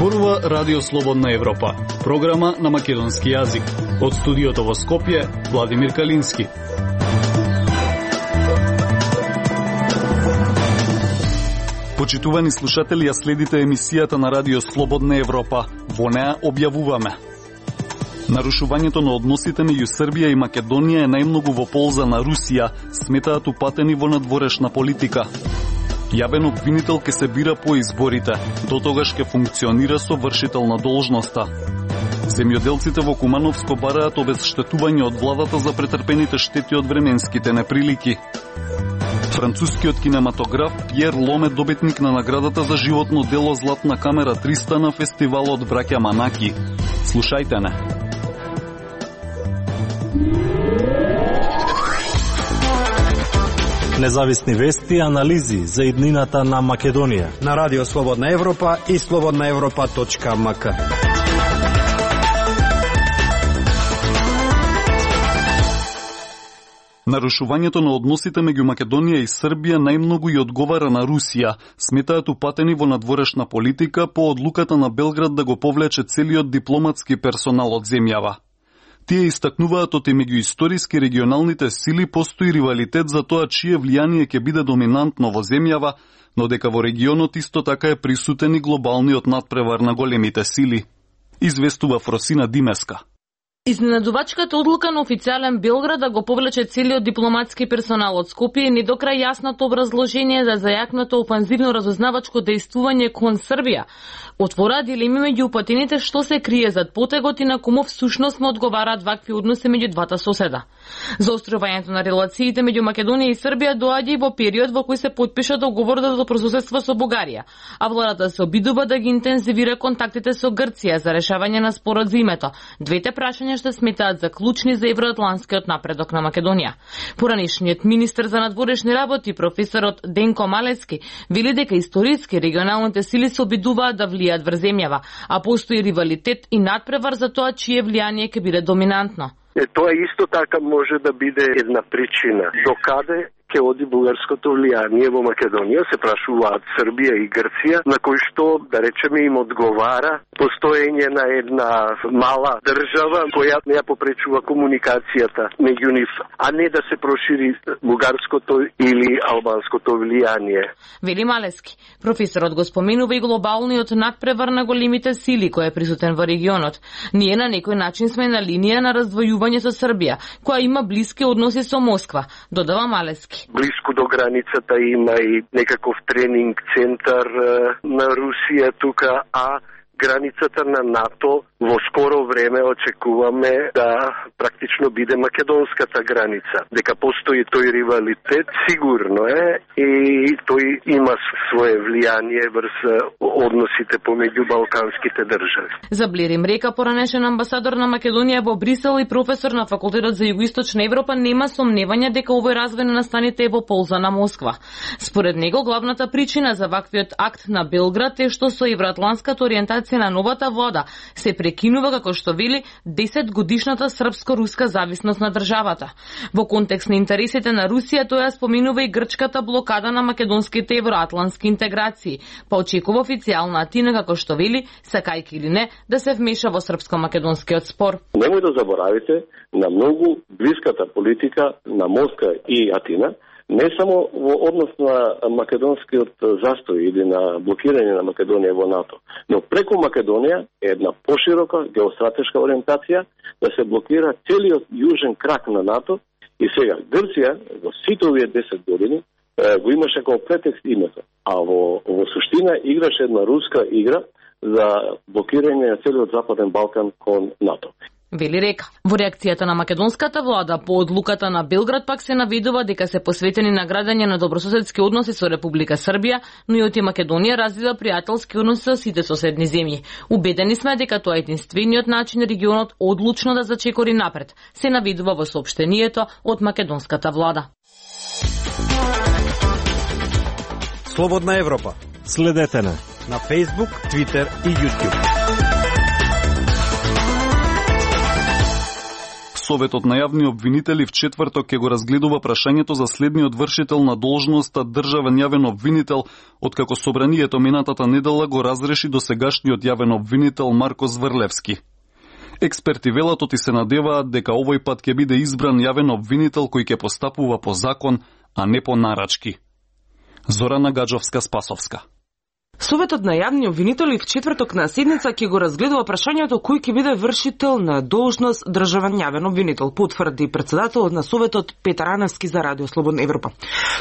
Зборува Радио Слободна Европа, програма на македонски јазик. Од студиото во Скопје, Владимир Калински. Почитувани слушатели, ја следите емисијата на Радио Слободна Европа. Во неа објавуваме: нарушувањето на односите меѓу Србија и Македонија е најмногу во полза на Русија, сметаат упатени во надворешна политика. Јавен обвинител ке се бира по изборите, до тогаш ке функционира со вршител на должноста. Земјоделците во Кумановско бараат обезштетување од владата за претрпените штети од временските неприлики. Францускиот кинематограф Пјер Лом е добитник на наградата за животно дело Златна камера 300 на фестивалот Браќа Манаки. Слушајте не. Независни вести и анализи за иднината на Македонија на Радио Слободна Европа и slobodnaevropa.mk. Нарушувањето на односите меѓу Македонија и Србија најмногу и одговара на Русија, сметаат упатени во надворешна политика по одлуката на Белград да го повлече целиот дипломатски персонал од земјава. Тие истакнуваат оти меѓу историски регионалните сили постои ривалитет за тоа чие влијание ќе биде доминантно во земјава, но дека во регионот исто така е присутен и глобалниот надпревар на големите сили. Известува Фросина Димеска. Изненадувачката одлука на официјален Белград да го повлече целиот дипломатски персонал од Скопје не до крај јасното образложение за зајакнато офанзивно разузнавачко дејствување кон Србија отвора дилеми меѓу упатените што се крие зад потегот и на кому всушност му одговараат вакви односи меѓу двата соседа. Заострувањето на релациите меѓу Македонија и Србија доаѓа и во период во кој се потпиша договор за добрососедство со Бугарија, а владата се обидува да ги интензивира контактите со Грција за решавање на спорот за името. Двете прашања што сметаат за клучни за евроатланскиот напредок на Македонија. Поранешниот министер за надворешни работи, професорот Денко Малески, вели дека историски регионалните сили се обидуваат да влијат врз земјава, а постои ривалитет и надпревар за тоа чие влијание ќе биде доминантно. Тоа исто така може да биде една причина. Докаде ќе оди бугарското влијание во Македонија, се прашуваат Србија и Грција, на кој што, да речеме, им одговара постоење на една мала држава која не ја попречува комуникацијата меѓу нив, а не да се прошири бугарското или албанското влијание. Вели Малески. Професорот го споменува и глобалниот надпревар на големите сили кој е присутен во регионот. Ние на некој начин сме на линија на раздвојување со Србија, која има блиски односи со Москва, додава Малески. Блиску до границата има и некаков тренинг центар на Русија тука, а границата на НАТО во скоро време очекуваме да практично биде македонската граница. Дека постои тој ривалитет, сигурно е, и тој има свое влијание врз односите помеѓу балканските држави. За Блерим Река, поранешен амбасадор на Македонија во Брисел и професор на факултетот за Југоисточна Европа, нема сомневање дека овој развој на настаните е во полза на Москва. Според него, главната причина за ваквиот акт на Белград е што со евроатланската ориентација на новата влада се прекинува, како што вели, 10 годишната српско-руска зависност на државата. Во контекст на интересите на Русија, тој споменува и грчката блокада на македонските евроатлански интеграции, па очекува официјална Атина, како што вели, сакајќи или не, да се вмеша во српско-македонскиот спор. Немој да заборавите на многу блиската политика на Москва и Атина, не само во однос на македонскиот застој или на блокирање на Македонија во НАТО, но преку Македонија е една поширока геостратешка ориентација да се блокира целиот јужен крак на НАТО. И сега Грција во сите овие 10 години го имаше како претекст името, а во суштина играше една руска игра за блокирање на целиот Западен Балкан кон НАТО. Вели Река. Во реакцијата на македонската влада по одлуката на Белград пак се наведува дека се посветени на градење на добрососедски односи со Република Србија, но и оти Македонија развива пријателски односи со сите соседни земји. Убедени сме дека тоа е единствениот начин регионот одлучно да зачекори напред, се наведува во соопштението од македонската влада. Слободна Европа. Следете на Facebook, Twitter и YouTube. Советот на јавни обвинители в четврток ќе го разгледува прашањето за следниот вршител на должноста државен јавен обвинител, откако собранието минатата недела го разреши досегашниот јавен обвинител Марко Зврлевски. Експерти велат и се надеваат дека овој пат ќе биде избран јавен обвинител кој ќе постапува по закон, а не по нарачки. Зорана Гаджовска-Спасовска. Советот на јавни обвинители в четврток на седница ќе го разгледува прашањето кој ќе биде вршител на должност државен јавен обвинител, потврди председателот на Советот Петар Аневски за Радио Слободна Европа.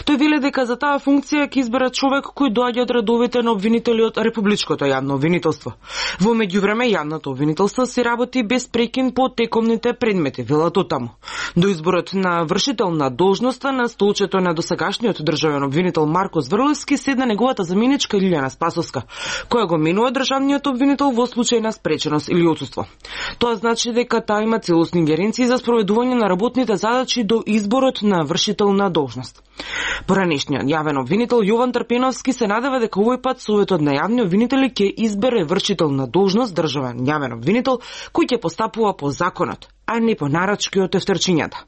Тој веле дека за таа функција ќе избере човек кој доаѓа од редовите на обвинители од Републичкото јавно обвинителство. Во меѓувреме јавното обвинителство се работи без прекин по текомните предмети, велат таму. До изборот на вршител на должноста на столчето на досегашниот државен обвинител Марко Зврлевски седна неговата заменичка Илјана Спасовска, која го менува државниот обвинител во случај на спреченост или отсуство. Тоа значи дека таа има целосни ингеренции за спроведување на работните задачи до изборот на вршител на должност. Поранешниот јавен обвинител Јован Трпеновски се надева дека овој пат Советот на јавни обвинители ќе избере вршител на должност државен јавен обвинител кој ќе постапува по законот, а не по нарачки од тефтерчињата.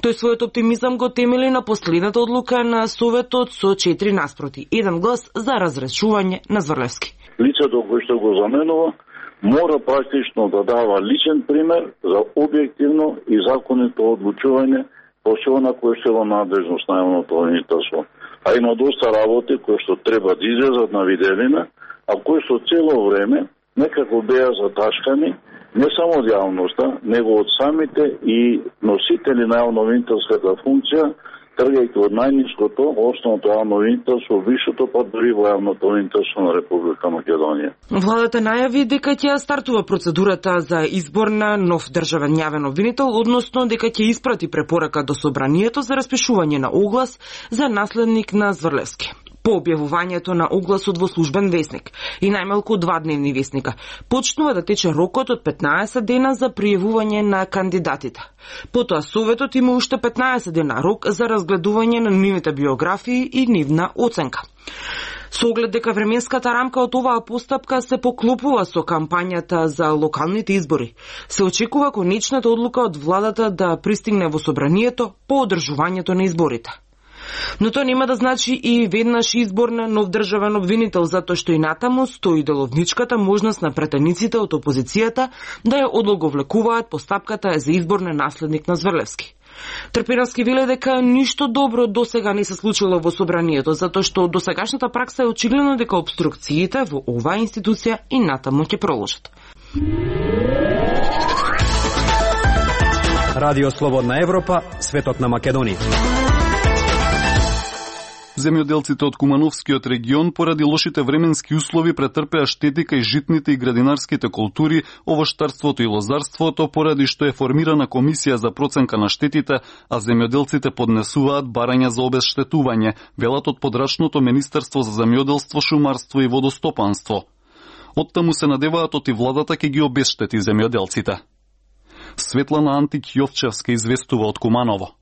Тој својот оптимизам го темели на последната одлука на Советот со 4:1 глас за разрешување на Зврлевски. Лицето кој што го заменува мора практично да дава личен пример за објективно и законито одлучување по на кој што е во надлежност на јавното обвинителство. А има доста работи кои што треба да излезат на виделина, а кои што цело време некако беа заташкани не само од јавноста, него од самите и носители на јавно-обвинителската функција, тргајќи од најниското, основното јавно обвинителство, висшето, па дури во јавното обвинителство на Република Македонија. Владата најави дека ќе стартува процедурата за избор на нов државен јавен обвинител, односно дека ќе испрати препорака до собранието за распишување на оглас за наследник на Зврлевски. По објавувањето на огласот во службен весник и најмалку 2 дневни весника, почнува да тече рокот од 15 дена за пријавување на кандидатите. Потоа Советот има уште 15 дена рок за разгледување на нивните биографии и нивна оценка. Со оглед дека временската рамка од оваа постапка се поклопува со кампањата за локалните избори, се очекува конечната одлука од владата да пристигне во собранието по одржувањето на изборите. Но тоа нема да значи и веднаш избор на нов државен обвинител, затоа што и натаму стои деловничката можност на претениците од опозицијата да ја одлоговлекуваат постапката за избор на наследник на Зврлевски. Трпеновски веле дека ништо добро досега не се случило во собранието, затоа што досегашната пракса е очигледно дека обструкциите во оваа институција и натаму ќе продолжат. Радио Слободна Европа, светот на Македонија. Земјоделците од Кумановскиот регион поради лошите временски услови претрпеа штети кај житните и градинарските култури, овоштарството и лозарството, поради што е формирана комисија за проценка на штетите, а земјоделците поднесуваат барања за обезштетување, велат од подрачното Министерство за земјоделство, шумарство и водостопанство. Оттаму се надеваат и владата ќе ги обезштети земјоделците. Светлана Антик Јовчевска известува од Куманово.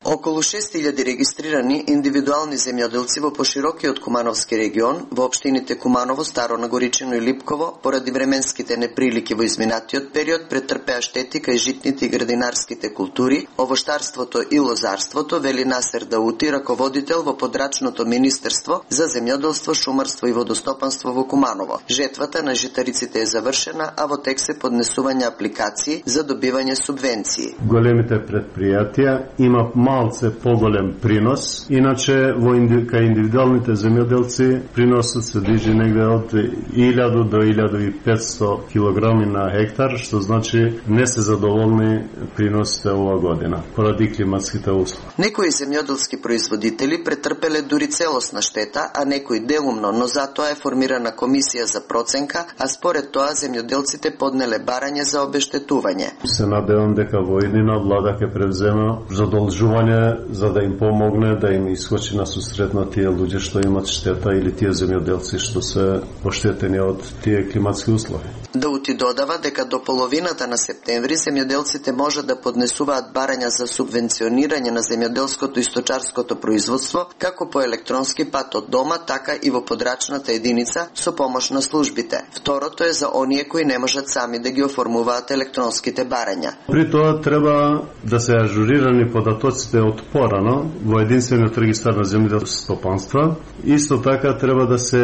Околу 6000 регистрирани индивидуални земјоделци во поширокиот Кумановски регион, во општините Куманово, Старо Нагоричино и Липково, поради временските неприлики во изминатиот период, претрпеа штети кај житните и градинарските култури, овоштарството и лозарството, вели Насер Даути, раководител во подрачното Министерство за земјоделство, шумарство и водостопанство во Куманово. Жетвата на житариците е завршена, а во тек се поднесување апликации за добивање субвенции. Големите предпријатија има малце поголем принос, иначе кај индивидуалните земјоделци приносот се движи негде од 1000 до 1500 килограми на хектар, што значи не се задоволни приносите ова година, поради климатските услови. Некои земјоделски производители претрпеле дури целосна штета, а некои делумно, но затоа е формирана комисија за проценка, а според тоа земјоделците поднеле барање за обештетување. Се надевам дека во иднина влада ќе превземе задолжување зборување за да им помогне да им искочи на сусрет на тие луѓе што имат штета или тие земјоделци што се оштетени од тие климатски услови. Даути додава дека до половината на септември земјоделците може да поднесуваат барања за субвенционирање на земјоделското и сточарското производство како по електронски пат од дома, така и во подрачната единица со помош на службите. Второто е за оние кои не можат сами да ги оформуваат електронските барања. При тоа треба да се ажурирани податоците од порано во единствениот регистар на земјоделски стопанства. Исто така треба да се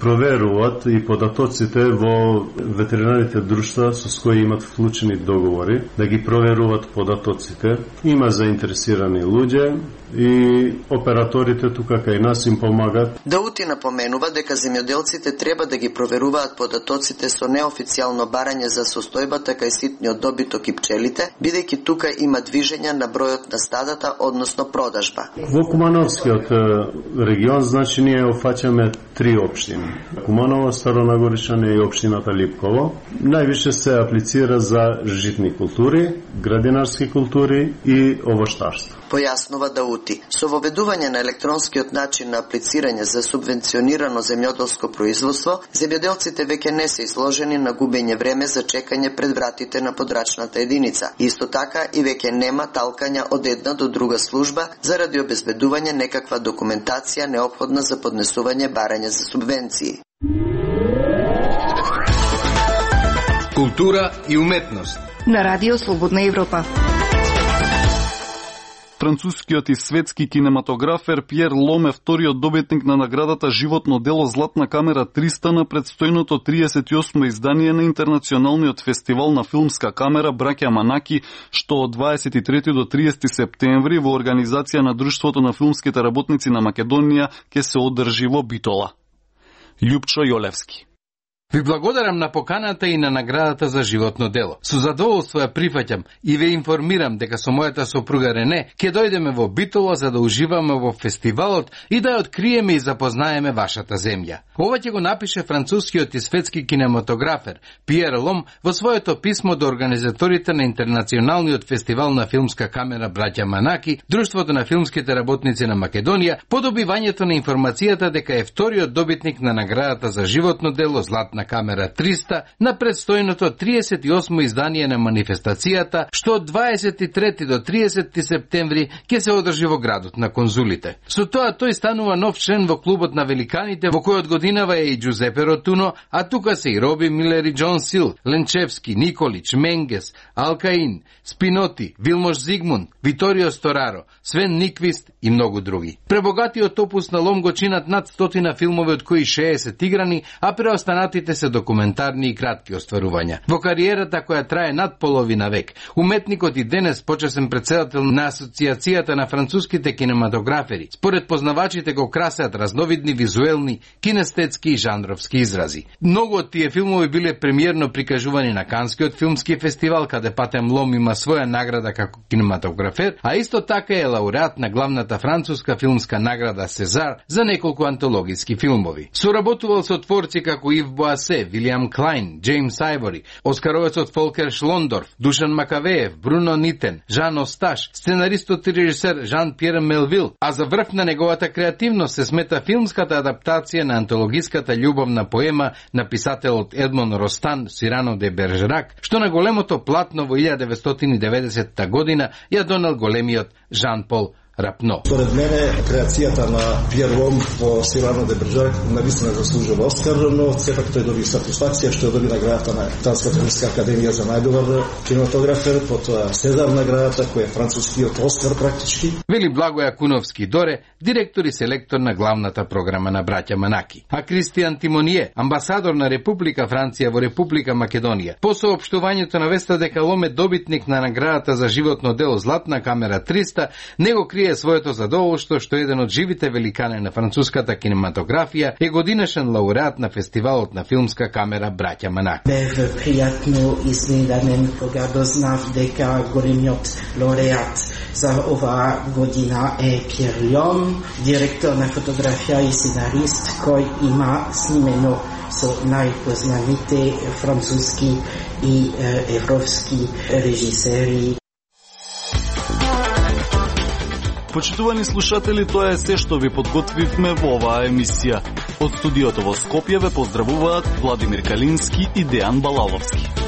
проверуваат и податоците во ветеринарните друштва со кои имат вклучени договори, да ги проверуваат податоците. Има заинтересирани луѓе и операторите тука кај нас им помагат. Даути напоменува дека земјоделците треба да ги проверуваат податоците со неофицијално барање за состојбата кај ситниот добиток и пчелите, бидејќи тука има движење на бројот на стадата, односно продажба. Во Кумановскиот регион, значи, ние офаќаме 3 општини. Куманово, Старонагоричане и општината Липково. Највише се аплицира за житни култури, градинарски култури и овоштарство. Појаснува Даути. Со воведување на електронскиот начин на аплицирање за субвенционирано земјоделско производство, земјоделците веќе не се изложени на губење време за чекање пред вратите на подрачната единица. Исто така и веќе нема талкања од една до друга служба заради обезбедување некаква документација неопходна за поднесување барање за субвенции. Култура и уметност на Радио Слободна Европа. Францускиот и светски кинематографер Пиер Лом е вториот добитник на наградата Животно дело Златна камера 300 на предстојното 38 издание на Интернационалниот фестивал на филмска камера Браќа Манаки, што од 23 до 30 септември во организација на Друштвото на филмските работници на Македонија ќе се одржи во Битола. Љупчо Јолевски. Ви благодарам на поканата и на наградата за животно дело. Со задоволство ја прифаќам и ве информирам дека со мојата сопруга Рене ќе дојдеме во Битола за да уживаме во фестивалот и да ја откриеме и запознаеме вашата земја. Ова ќе го напише францускиот и светски кинематографер Пиер Лом во своето писмо до организаторите на Интернационалниот фестивал на филмска камера Браќа Манаки, Друштвото на филмските работници на Македонија, по добивањето на информацијата дека е вториот добитник на наградата за животно дело Златна камера 300 на предстојното 38 издание на манифестацијата, што од 23 до 30 септември ќе се одржи во градот на конзулите. Со тоа тој станува нов член во клубот на великаните, во кој од годинава е и Джузепе Ротуно, а тука се и Роби Милер и Џон Сил, Ленчевски, Николич, Менгес, Алкаин, Спиноти, Вилмош Зигмунд, Виторио Стораро, Свен Никвист и многу други. Пребогатиот опус на Лом го чинат над 100 филмови, од кои 60 играни, а преостанатите се документарни и кратки остварувања. Во кариерата која трае над половина век, уметникот и денес почесен претседател на Асоциацијата на француските кинематографери, според познавачите го красеат разновидни визуелни, кинестетски и жанровски изрази. Многу од тие филмови биле премиерно прикажувани на Канскиот филмски фестивал, каде Патем Лом има своја награда како кинематографер, а исто така е лауреат на главната француска филмска награда Сезар за неколку антологиски филмови. Соработувал со творци како Ив Боасе, Вилиам Клайн, Джеймс Ајвори, оскаровецот Фолкер Шлондорф, Душан Макавеев, Бруно Нитен, Жан Осташ, сценаристот и режисер Жан Пьер Мелвил, а за врв на неговата креативност се смета филмската адаптација на антологиската љубовна поема на писателот Едмон Ростан Сирано де Бержерак, што на големото платно во 1990 година ја донел големиот Жан Пол Рапно. Според мене, креацијата на Пиер Лом во Сирано де Бержерак навистина заслужува Оскар, но сепак тој доби сатисфакција што ја доби наградата на Италската филмска академија за најдобар кинематографер, потоа Сезар наградата која е францускиот Оскар практички. Вели Благоја Куновски Доре, директор и селектор на главната програма на Браќа Манаки. А Кристијан Тимоние, амбасадор на Република Франција во Република Македонија, по соопштувањето навеста дека Лом е добитник на наградата за животно дело Златна камера 300, него крие своето задоволство што еден од живите великани на француската кинематографија е годинешен лауреат на фестивалот на филмска камера Браќа Манаки. Бев пријатно изненаден кога дознав дека големиот лауреат за оваа година е Пиер Лом, директор на фотографија и сценарист кој има снимено со најпознаните француски и европски режисери. Почитувани слушатели, тоа е се што ви подготвивме во оваа емисија. Од студиото во Скопје ве поздравуваат Владимир Калински и Дејан Балаловски.